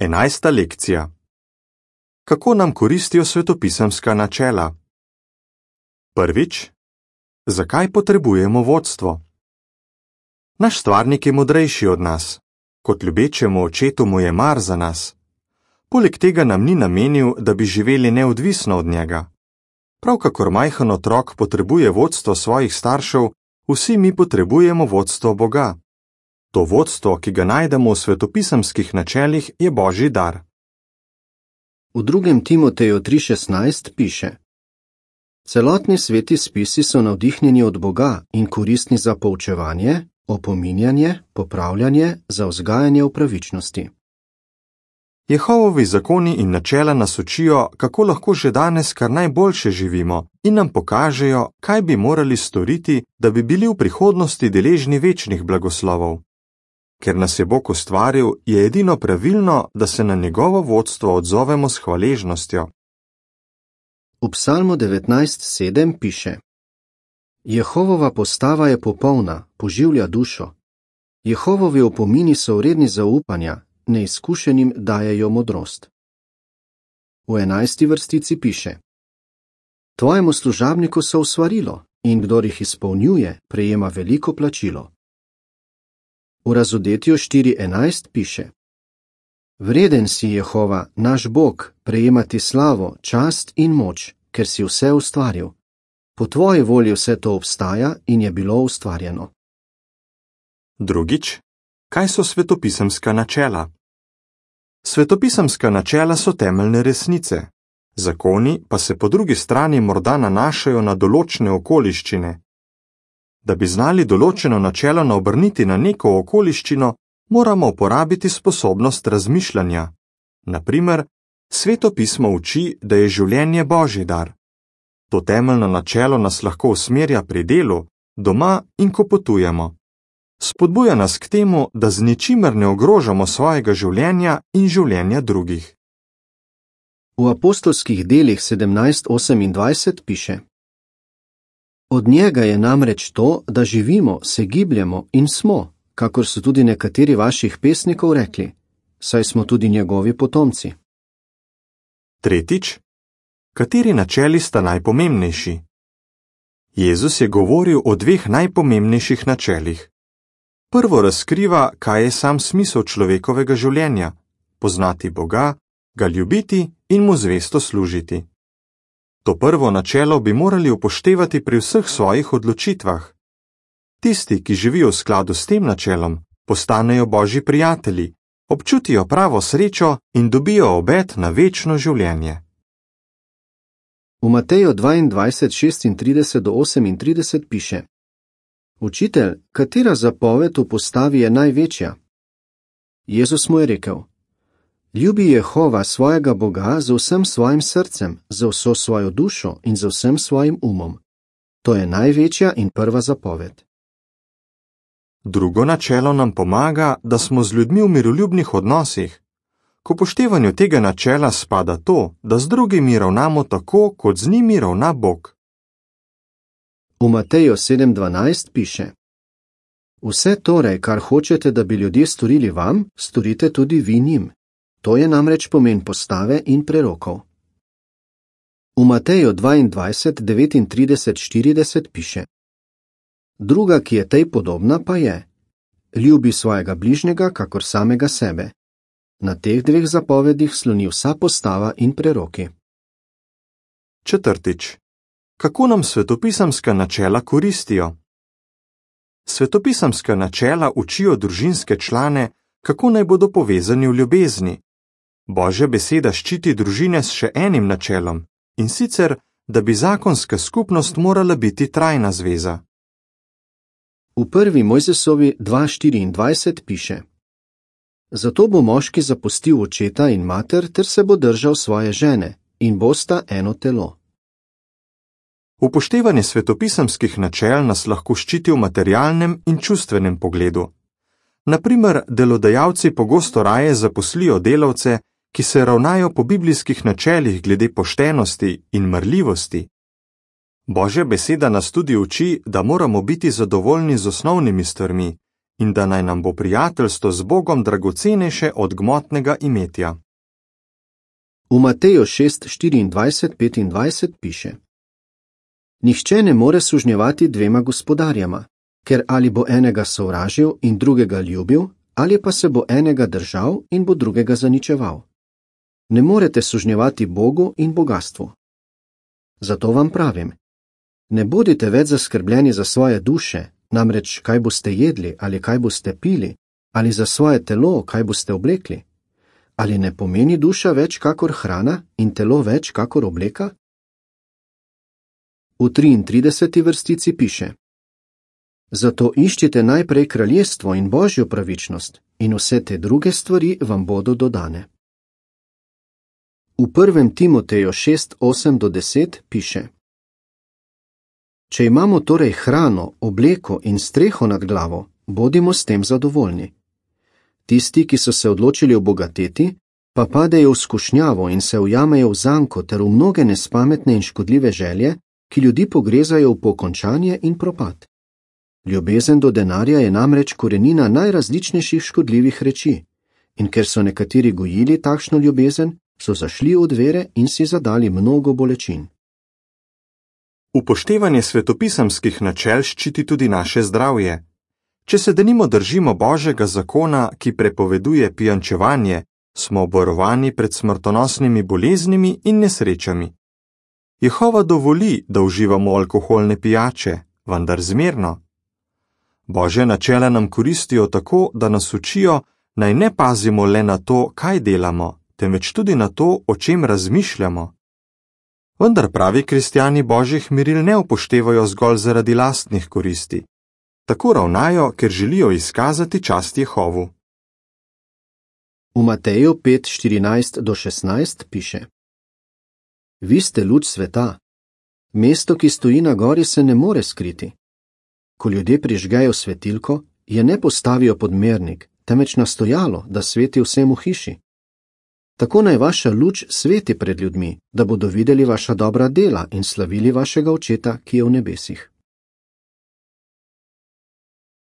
11. lekcija. Kako nam koristijo svetopisemska načela? Prvič, zakaj potrebujemo vodstvo? Naš stvarnik je modrejši od nas. Kot ljubečemu očetu mu je mar za nas. Poleg tega nam ni namenil, da bi živeli neodvisno od njega. Prav kakor majhen otrok potrebuje vodstvo svojih staršev, vsi mi potrebujemo vodstvo Boga. To vodstvo, ki ga najdemo v svetopisemskih načelih, je Božji dar. V 2. Timoteju 3:16 piše: Celotni sveti spisi so navdihnjeni od Boga in koristni za poučevanje, opominjanje, popravljanje, za vzgajanje v pravičnosti. Jehovovi zakoni in načela nas učijo, kako lahko že danes kar najboljše živimo in nam pokažejo, kaj bi morali storiti, da bi bili v prihodnosti deležni večnih blagoslovov. Ker nas je Bog ustvaril, je edino pravilno, da se na njegovo vodstvo odzovemo s hvaležnostjo. V Psalmu 19:7 piše: Jehovova postava je popolna, poživlja dušo. Jehovovi opomini so vredni zaupanja, neizkušenim dajejo modrost. V 11. vrstici piše: Tvojemu služabniku so usvarilo, in kdor jih izpolnjuje, prejema veliko plačilo. V Razodetju 4:11 piše: Vreden si, Jehova, naš Bog, prejemati slavo, čast in moč, ker si vse ustvaril. Po tvoji volji vse to obstaja in je bilo ustvarjeno. Drugič, kaj so svetopisemska načela? Svetopisemska načela so temeljne resnice, zakoni pa se po drugi strani morda nanašajo na določene okoliščine. Da bi znali določeno načelo naobrniti na neko okoliščino, moramo uporabiti sposobnost razmišljanja. Na primer, Sveto pismo uči, da je življenje Božji dar. To temeljno načelo nas lahko usmerja pri delu, doma in ko potujemo. Spodbuja nas k temu, da z ničimer ne ogrožamo svojega življenja in življenja drugih. V apostolskih delih 17:28 piše: Od njega je namreč to, da živimo, se gibljemo in smo, kakor so tudi nekateri vaših pesnikov rekli, saj smo tudi njegovi potomci. Tretjič, kateri načeli sta najpomembnejši? Jezus je govoril o dveh najpomembnejših načelih. Prvo razkriva, kaj je sam smisel človekovega življenja: poznati Boga, ga ljubiti in mu zvesto služiti. To prvo načelo bi morali upoštevati pri vseh svojih odločitvah. Tisti, ki živijo v skladu s tem načelom, postanejo Božji prijatelji, občutijo pravo srečo in dobijo obet na večno življenje. V Mateju 22:36-38 piše: Učitelj, katera zapoved v postavi je največja? Jezus mu je rekel: Ljubi Jehova svojega Boga z vsem svojim srcem, z vso svojo dušo in z vsem svojim umom. To je največja in prva zapoved. Drugo načelo nam pomaga, da smo z ljudmi v miroljubnih odnosih. K upoštevanju tega načela spada to, da z drugimi ravnamo tako, kot z njimi ravna Bog. V Mateju 7:12 piše: Vse torej, kar hočete, da bi ljudje storili vam, storite tudi vi njim. To je namreč pomen postave in prerokov. V Mateju 22:39-40 piše: Druga, ki je tej podobna, pa je: Ljubi svojega bližnjega, kakor samega sebe. Na teh dveh zapovedih sloni vsa postava in preroki. Četrtič, kako nam svetopisemska načela koristijo? Svetopisemska načela učijo družinske člane, kako naj bodo povezani v ljubezni. Božja beseda ščiti družine s še enim načelom, in sicer, da bi zakonska skupnost morala biti trajna zveza. V 1. Mojzesovi 2:24 piše: Zato bo moški zapustil očeta in mater ter se bo držal svoje žene, in bosta eno telo. Upoštevanje svetopisemskih načel nas lahko ščiti v materialnem in čustvenem pogledu. Na primer, delodajalci pogosto raje zaposlijo delavce, ki se ravnajo po biblijskih načelih glede poštenosti in marljivosti. Božja beseda nas tudi uči, da moramo biti zadovoljni z osnovnimi stvarmi in da naj nam bo prijateljstvo z Bogom dragocenejše od gmotnega imetja. V Mateju 6:24-25 piše: Nihče ne more sužnjevati dvema gospodarjama, ker ali bo enega sovražil in drugega ljubil, ali pa se bo enega držal in bo drugega zaničeval. Ne morete sužnjevati Bogu in bogastvu. Zato vam pravim, ne bodite več zaskrbljeni za svoje duše, namreč kaj boste jedli ali kaj boste pili, ali za svoje telo, kaj boste oblekli. Ali ne pomeni duša več kakor hrana in telo več kakor obleka? V 33. vrstici piše: Zato iščite najprej kraljestvo in Božjo pravičnost, in vse te druge stvari vam bodo dodane. V 1. Timoteju 6:8-10 piše: Če imamo torej hrano, obleko in streho nad glavo, bodimo s tem zadovoljni. Tisti, ki so se odločili obogateti, pa padejo v skušnjavo in se ujamejo v zanko ter v mnoge nespametne in škodljive želje, ki ljudi pogrezajo v pokončanje in propad. Ljubezen do denarja je namreč korenina najrazličnejših škodljivih reči, in ker so nekateri gojili takšno ljubezen, so zašli od vere in si zadali mnogo bolečin. Upoštevanje svetopisemskih načel ščiti tudi naše zdravje. Če se denimo držimo Božjega zakona, ki prepoveduje pijančevanje, smo obvarovani pred smrtonosnimi boleznimi in nesrečami. Jehova dovoli, da uživamo alkoholne pijače, vendar zmerno. Božja načela nam koristijo tako, da nas učijo, naj ne pazimo le na to, kaj delamo, temveč tudi na to, o čem razmišljamo. Vendar pravi kristjani Božjih meril ne upoštevajo zgolj zaradi lastnih koristi. Tako ravnajo, ker želijo izkazati čast Jehovu. V Mateju 5:14-16 piše: Vi ste luč sveta. Mesto, ki stoji na gori, se ne more skriti. Ko ljudje prižgejo svetilko, je ne postavijo pod mernik, temveč na stojalo, da sveti vsem v hiši. Tako naj vaša luč sveti pred ljudmi, da bodo videli vaša dobra dela in slavili vašega Očeta, ki je v nebesih.